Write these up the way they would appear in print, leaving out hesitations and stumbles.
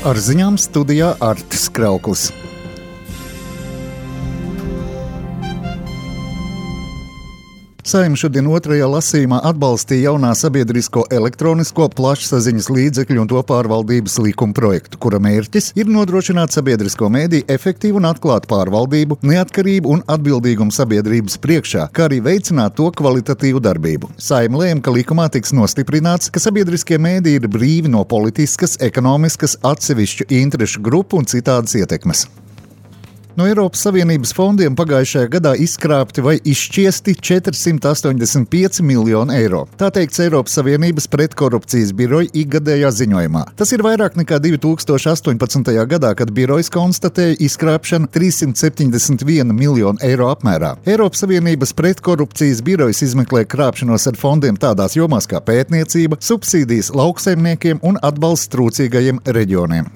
Ar ziņām studijā Artis Krauklis. Saeima šodien otrajā lasījumā atbalstīja jaunā sabiedrisko elektronisko plašsaziņas līdzekļu un to pārvaldības likuma projektu, kura mērķis ir nodrošināt sabiedrisko mēdīju efektīvu un atklātu pārvaldību, neatkarību un atbildīgumu sabiedrības priekšā, kā arī veicināt to kvalitatīvu darbību. Saeima lēma, ka likumā tiks nostiprināts, ka sabiedriskie mēdīji ir brīvi no politiskas, ekonomiskas, atsevišķu interešu grupu un citādas ietekmes. No Eiropas Savienības fondiem pagājušajā gadā izkrāpti vai izšķiesti 485 miljoni eiro. Tā teikts Eiropas Savienības pretkorupcijas biroja ikgadējā ziņojumā. Tas ir vairāk nekā 2018. gadā, kad birojas konstatēja izkrāpšanu 371 miljonu eiro apmērā. Eiropas Savienības pretkorupcijas birojas izmeklē krāpšanos ar fondiem tādās jomās kā pētniecība, subsīdijas lauksaimniekiem un atbalsts trūcīgajiem reģioniem.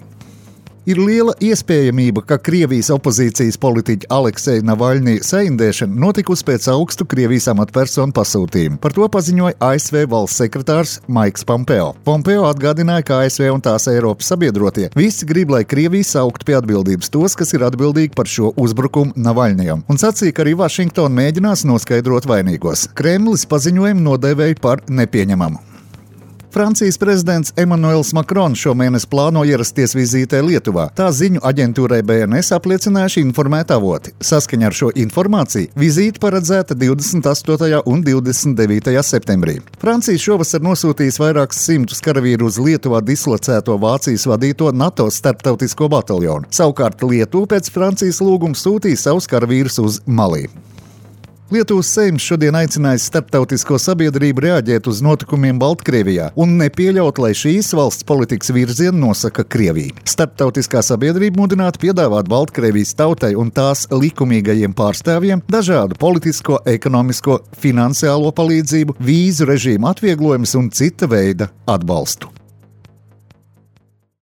Ir liela iespējamība, ka Krievijas opozīcijas politiķa Alekseja Navaļņija saindēšana notikusi pēc augstu Krievijas amatpersonu pasūtījuma. Par to paziņoja ASV valsts sekretārs Maiks Pompeo. Pompeo atgādināja, ka ASV un tās Eiropas sabiedrotie visi grib, lai Krievija sauktu pie atbildības tos, kas ir atbildīgi par šo uzbrukumu Navaļņijam, un sacīja, ka arī Vašingtona mēģinās noskaidrot vainīgos. Kremlis paziņojumu nodēvēja par nepieņemamu. Francijas prezidents Emmanuels Macrons šomēnes plāno ierasties vizītē Lietuvā. Tā ziņu aģentūrai BNS apliecinājuši informēti avoti. Saskaņā ar šo informāciju vizīte paredzēta 28. un 29. septembrī. Francija šovasar nosūtīs vairākus simtus karavīru uz Lietuvā dislocēto Vācijas vadīto NATO starptautisko bataljonu. Savukārt Lietuva pēc Francijas lūguma sūtīs savus karavīrus uz Malī. Lietuvas Seims šodien aicinājis starptautisko sabiedrību reaģēt uz notikumiem Baltkrievijā un nepieļaut, lai šīs valsts politikas virzienu nosaka Krievija. Starptautiskā sabiedrība mudinātu piedāvāt Baltkrievijas tautai un tās likumīgajiem pārstāvjiem dažādu politisko, ekonomisko, finansiālo palīdzību, vīzu režīmu atvieglojumus un cita veida atbalstu.